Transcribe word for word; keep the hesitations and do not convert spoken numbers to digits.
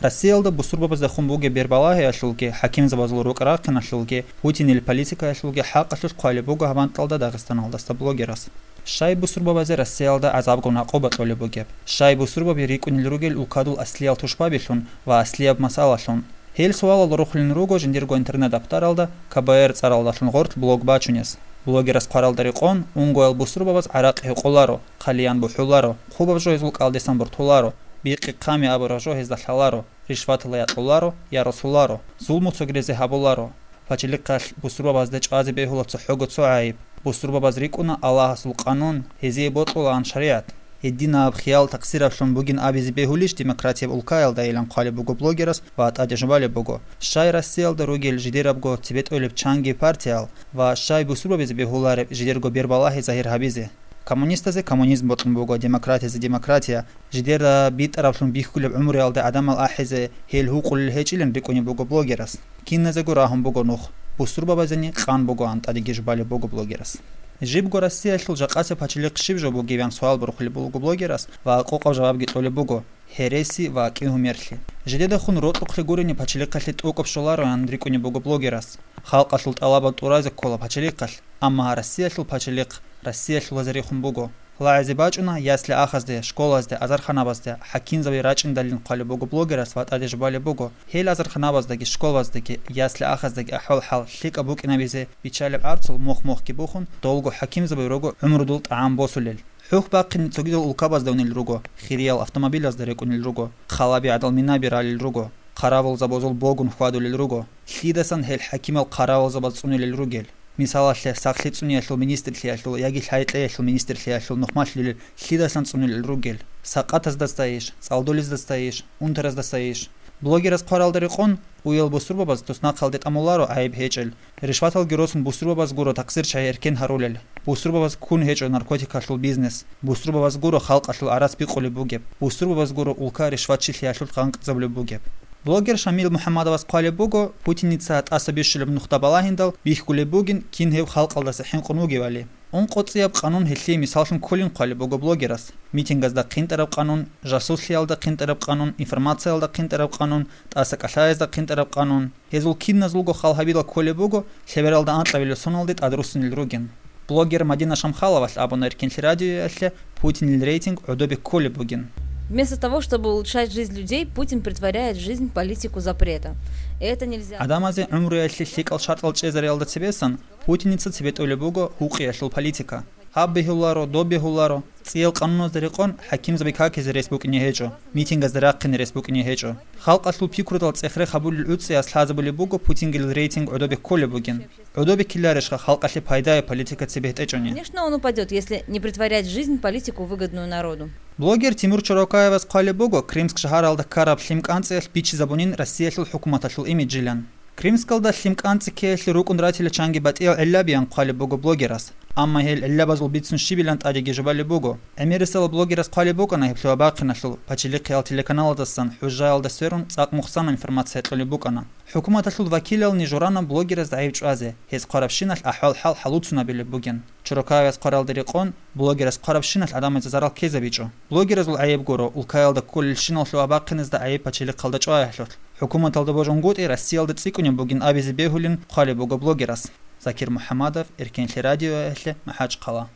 Россиялда бусурбабаздехун бугеб бербалагьиялъулги, хӀакимзабазул рукӀа-рахъиналъулги, Путинил политикаялъулги хӀакъалъулъ хъвалеб буго гьаб анкьалда Дагъистаналдаса блогерас. Щай бусурбабазе Россиялда гӀазабгун гӀакъуба кьолеб бугеб? Щай бусурбаби рикӀкӀунел ругел улкадул аслиял тушбабилъун ва аслияб масъалалъун? Гьел суалал рохулин руго жиндирго интернет-абтаралда К Б Р цӀаралдалъун гъорлъ блог бачунес. Блогерас хъваралда рекъон, унгоял бусурбабаз гӀаракь гьекъоларо, хъалиян бухӀуларо, хъубаб жо гьезул кӀалдисан бортуларо, бикъи-хъами абураб жо гьезда лъаларо, ришваталъ якьуларо, я росуларо, зулму цогидазде гьабуларо. Пачалихъалъ бусурбабазда чӀвазе бегьула цохӀого цо гӀайиб. Бусурбабаз рикӀкӀуна Аллагьасул къанун, гьезие бокьулаан шаригӀат. Гьединаб хиял такъсираблъун бугин абизе бегьулищ демократияб улкаялдайилан хъвалеб буго блогерас ва тӀаде жубалеб буго, щай Россиялда ругел жидерабго цебетӀолеб чанги партиял ва щай бусурбабизе бегьулареб жидерго бербалагьи загьир гьабизе. Коммунистазе коммунизм бокьун буго, демократиязе демократия, жидерда битӀараблъун бихьулеб гӀумруялда гӀадамал ахӀизе гьел гьукъулел гьечӀилан рикӀкӀунеб буго блогерас. Киназего рагьун буго нух, бусурбабазени къан бугоан тӀадеги жубалеб буго блогерас. Жибго Россиялъул жакъасеб пачалихъ щиб жо бугебян суал борхулеб буго блогерас ва къокъаб жавабги кьолеб буго: гьереси ва кӀигьумерлъи. Жидедехун рокьухълъи гурени пачалихъалъе тӀокӀаб щолароян рикӀкӀунеб буго блогерас. Халкъалъул тӀалабал тӀуразе ккола пачалихъалъ, амма Россиялъул пачалихъ Россиялъулазе рехун буго. ЛагӀизе бачӀуна ясли-ахазде, школазде, азарханабазде, хӀакимзаби рачӀиндалин хъвалеб буго блогерас ва тӀаде жубалеб буго, гьел азарханабаздаги, школаздаги, ясли-ахаздаги ахӀвал-хӀал лъикӀаб букӀинабизе биччалеб гӀарцул мох-мохги бухун, долго хӀакимзаби руго гӀумрудул тӀагӀам босулел. ХӀухь бахъине цогидал улкабазда унел руго, хириял автомобилазда рекӀунел руго, хъалаби гӀадал минаби ралел руго, хъаравулзабазул богун хьвадулел руго, лъидасан гьел хӀакимал хъаравулзабаз цӀунилел ругел. Мисалалъе, сахлъи цӀуниялъул министрлъиялъул яги лъай-кьеялъул министрлъиялъул нухмалъулел лъидасан цӀунилел ругел, сакъатаздасайищ, цӀалдолиздасайищ, унтараздасайищ. Блогерас хъваралда рекъон, уял бусурбабаз туснахъалде тӀамуларо гӀайиб гьечӀел, ришваталги росун бусурбабаз гуро такъсирчагьи эркен гьарулел, бусурбабаз ккун гьечӀо наркотикалъул бизнес, бусурбабаз гуро халкъалъул гӀарац бикъулеб бугеб, бусурбабаз гуро улка ришватчилъиялъулъ гъанкъизабулеб бугеб. Блогер Шамил МухӀаммадовас хъвалеб буго, Путиница тӀаса бищулеб нухда балагьиндал бихьулеб бугин, кин гьев халкъалдаса хӀинкъун вугевали. УнкъоцӀияб къанун гьелъие мисаллъун кколин хъвалеб буго блогерас. Митингаздахъ хъинтӀараб къанун, жасуслъиялдахъ хъинтӀараб къанун, информациялдахъ хъинтӀараб къанун, тӀаса кӀалъаязда хъинтӀараб къанун. Гьезул киназулго хал гьабилал кколеб буго, лъебералда анкьабилеб соналде тӀадруссунел ругин. Блогер Мадина Шамхаловалъ абуна Эркинлъи радиоялъе Путинил рейтинг гӀодобе кколеб бугин. Вместо того, чтобы улучшать жизнь людей, Путин претворяет жизнь в политику запрета. И это нельзя. ГӀадамазе гӀумруялъе лъикӀал шартӀал чӀезариялда цебесан Путиница цебетӀолеб буго гьукъиялъул политика. Гьаб бегьуларо, доб бегьуларо, цӀиял къануназда рекъон хӀакимзаби какизе рес букӀине гьечӀо, митингазда рахъине рес букӀине гьечӀо. Халкъалъул пикрудал цӀех-рех гьабулел гӀуцӀиялъ лъазабулеб буго Путингил рейтинг гӀодобе кколеб бугин. ГӀодобе ккеларищха халкъалъе пайдае политика цебетӀечӀони? Конечно, он упадет, если не претворять жизнь, политику, выгодную народу. Блогер Тимур Чорокаевас хъвалеб буго, Крымск шагьаралда ккараб лъим кӀанцӀиялъ бичизабунин Россиялъул хӀукуматалъул имиджилан. Крымскалда лъим кӀанцӀи ккеялъе рукӀун ратила чанги батӀиял гӀиллабиян хъвалеб буго блогерас. Амма гьел гӀиллабазул бицун щибилан тӀадеги жубалеб буго. ГӀемерисела блогерас хъвалеб букӀана гьеб лъугьа-бахъиналъул, пачалихъиял телеканалдасан, хӀужаялда сверун цӀакъ мухсана информация кьолеб букӀана. ХӀукуматалъул вакилални журана блогераз гӀайиб чӀвазе, гьез хъварабщиналъ ахӀвал-хӀал хӀалуцунабилеб бугин. Чорокаевас хъваралда рекъон, блогерас хъварабщиналъ гӀадамазе зарал ккезабичӀо. Блогеразул гӀайиб гуро, улкаялда кколелщинал лъугьа-бахъиназда гӀайиб пачалихъалда чӀваялъулъ. ХӀукуматалда божун гутӀи Россиялда цӀикӀкӀунеб бугин абизе бегьулин хъвалеб буго блогерас. Закир МухӀамадов, Эркенлъи радиоялъе, МахӀачхъала.